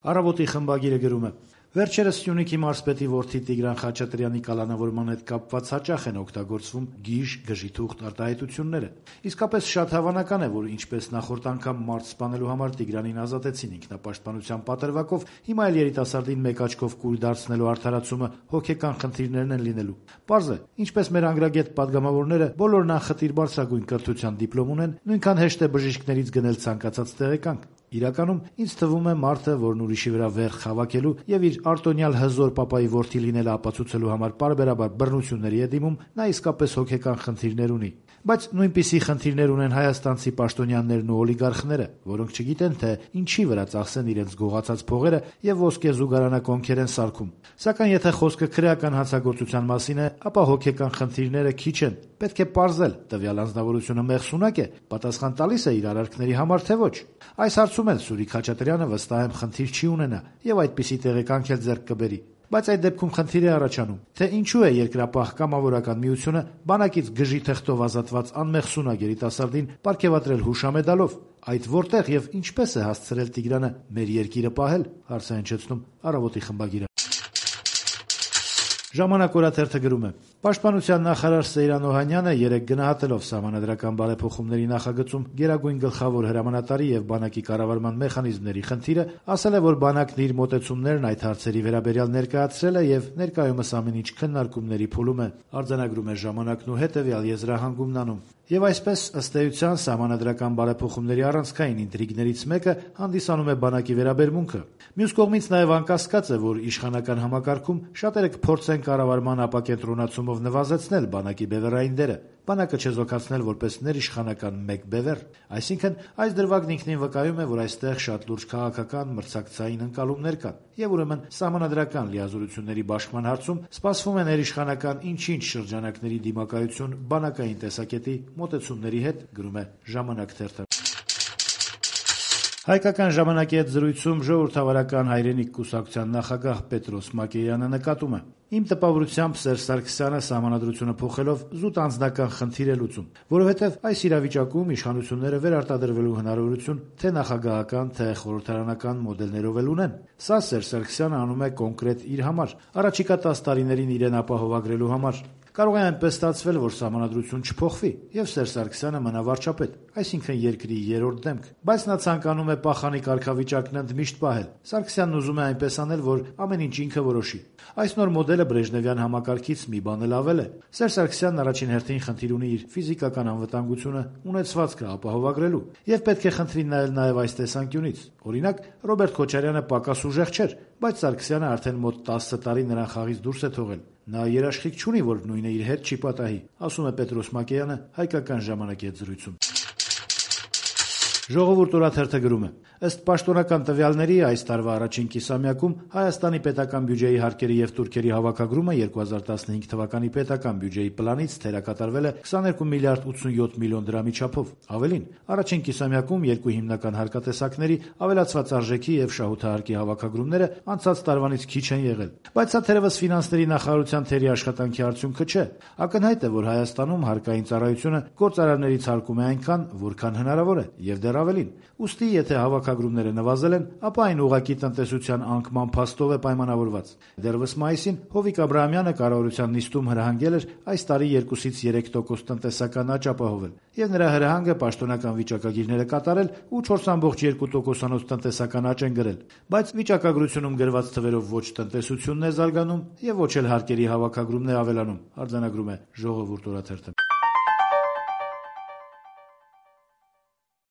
Առավոտի խմբագիրը գրում է. Վերջերս Սյունիքի մարզպետի որդի Տիգրան Խաչատրյանի կալանավորման հետ կապված հաճախ են օգտագործվում գիժ, գժիթուղթ արտահայտությունները։ Իսկապես շատ հավանական է, որ ինչպես նախորդ անգամ մարդ սպանելու համար Տիգրանին ազատեցին ինքնապաշտպանության պատրվակով, հիմա էլ երիտասարդին մեկ աչքով կույր դարձնելու արդարացումը հոգեկան խնդիրներն են լինելու։ Պարզ է, ինչպես մեր անգրագետ պատգամավորները բոլորն անխտիր բարձրագույն կրթության դիպլոմ ունեն, նույնքան հեշտ է բժիշկներից գնել ցանկացած տեղեկանք։ Իրականում ինձ թվում է մարդը, որն ուրիշի վրա վերх հավաքելու եւ իր արտոնյալ հզոր պապայի որդի լինելը ապացուցելու համար պարբերաբար բռնությունների է դիմում, նա իսկապես հոգեկան խնդիրներ ունի։ Բայց նույնպիսի խնդիրներ ունեն հայաստանցի պաշտոնյաներն ու օլիգարխները, որոնք չգիտեն, թե ինչի վրա ծախսեն իրենց գողացած փողերը եւ ոսկե զուգարանակոնքեր են սարքում։ Սակայն եթե խոսքը քրեական հանցագործության մասին է, ապա հոգեկան խնդիրները քիչ են։ Պետք է պարզել, տվյալ անձնավորությունը մեղսունակ է, պատասխան տալիս է իր արարքների համար, թե ոչ։ Այս հարցում էլ Սուրիկ Խաչատրյանը վստահ եմ խնդիր չի ունենա եւ այդպիսի տեղեկանք էլ ձեռք կբերի։ Բայց այդ դեպքում խնդիր է առաջանում, թե ինչու է երկրապահ կամավորական միությունը բանակից գժի թղթով ազատված անմեղսունակ երիտասարդին պարգևատրել հուշամեդալով։ Այդ որտեղ եւ ինչպես է հասցրել Տիգրանը մեր երկիրը պահել, հարց է հնչեցնում Առավոտի խմբագիրը։ Ժամանակ օրաթերթը գրում է. Պաշտպանության նախարար Սեյրան Օհանյանը երեկ գնահատելով սահմանադրական բարեփոխումների նախագծում գերագույն գլխավոր հրամանատարի եւ բանակի կառավարման մեխանիզմների խնդիրը, ասել է, որ բանակն իր մոտեցումներն այդ հարցերի վերաբերյալ ներկայացրել է եւ ներկայումս ամեն ինչ քննարկումների փուլում է։ Արձանագրում է Ժամանակն ու հետեւյալ եզրահանգումն անում։ Եվ այսպես, ըստ էության, սահմանադրական բարեփոխումների առանցքային ինտրիգներից մեկը հանդիսանում է բանակի վերաբերմունքը։ Մյուս կողմից նաև անկասկած է, որ իշխանական համակարգում շատերը կփորձեն կառավարման ապակենտրոնացումով նվազեցնել բանակի բևեռային դերը, բանակը չեզոքացնել որպես ներիշխանական մեկ բևեռ։ Այսինքն, այս դրվագն ինքնին վկայում է, որ այստեղ շատ լուրջ քաղաքական մրցակցային ընկալումներ կան, եւ ուրեմն սահմանադրական լիազորությունների բաշխման հարցում սպասվում է ներիշխանական ինչ-ինչ շրջանակների դիմակայություն բանակային տեսակետի մոտեցումների հետ, գրում է Ժամանակ թերթը։ Հայկական ժամանակի հետ զրույցում ժողովրդավարական հայրենիք կուսակցության նախագահ Պետրոս Մակեյանը նկատում է. Իմ տպավորությամբ Սերժ Սարգսյանը սահմանադրությունը փոխելով զուտ անձնական խնդիր է լուծում, որովհետև այս իրավիճակում իշխանությունները վերարտադրվելու հնարավորություն թե նախագահական, թե խորհրդարանական մոդելներով էլ ունեն։ Սա Սերժ Սարգսյանը անում է կոնկրետ իր համար, առաջիկա 10 տարիներին իրեն ապահովագրելու համար։ Կարող է այնպես ստացվել, որ սահմանադրություն չփոխվի եւ Սերժ Սարգսյանը մնա վարչապետ, այսինքն երկրի երրորդ դեմք, բայց նա ցանկանում է պահանի կարգավիճակն ընդմիշտ պահել։ Սարգսյանն ուզում է այնպես անել, որ ամեն ինչ ինքը որոշի։ Այս նոր մոդելը Բրեժնևյան համակարգից մի բան էլ ավել է։ Սերժ Սարգսյանն առաջին հերթին խնդիր ունի իր ֆիզիկական անվտանգությունը, ունեցվածքը ապահովագրելու եւ պետք է խնդրին նայել նաեւ այս տեսանկյունից։ Օրինակ, Ռոբերտ Քոչարյանը պակաս ուժեղ չէր, բայց Սարգսյանը արդեն մոտ 10 տարի նրան խաղից դուրս է թողել։ Նա երաշխիք չունի, որ նույնը իր հետ չի պատահի, ասում է Պետրոս Մակեյանը Հայկական ժամանակի հետ զրույցում։ Ժողովուրդ օրաթերթը գրում է. ըստ պաշտոնական տվյալների այս տարվա առաջին կիսամյակում Հայաստանի պետական բյուջեի հարկերի եւ տուրքերի հավաքագրումը 2015 թվականի պետական բյուջեի պլանից թերակատարվել է 22 միլիարդ 87 միլիոն դրամի չափով։ Ավելին, առաջին կիսամյակում երկու հիմնական հարկատեսակների ավելացված արժեքի եւ շահութահարկի հավաքագրումները անցած տարվանից քիչ են եղել։ Բայց սա թերևս ֆինանսների նախարարության թերի աշխատանքի արդյունքը չէ։ Ակնհայտ է, որ Հայաստանում հարկային ծառայությունը գործարարներից հարկում է այնքան, որքան հնարավոր է, եւ դեռ ավելին։ Ուստի, եթե հավաքագրումները նվազել են, ապա այն ուղղակի տնտեսության անկման փաստով է պայմանավորված։ Դեռևս մայիսին Հովիկ Աբրահամյանը կառավարության նիստում հրահանգել էր այս տարի 2-ից 3% տնտեսական աճ ապահովել, եւ նրա հրահանգը պաշտոնական վիճակագիրները կատարել ու 4.2%-անոց տնտեսական աճ են գրել։ Բայց վիճակագրությունում գրված թվերով ոչ տնտեսությունն է զարգանում եւ ոչ էլ հարկերի հավաքագրումն է ավելանում, արձանագրում է Ժողովուրդ օրաթերթը։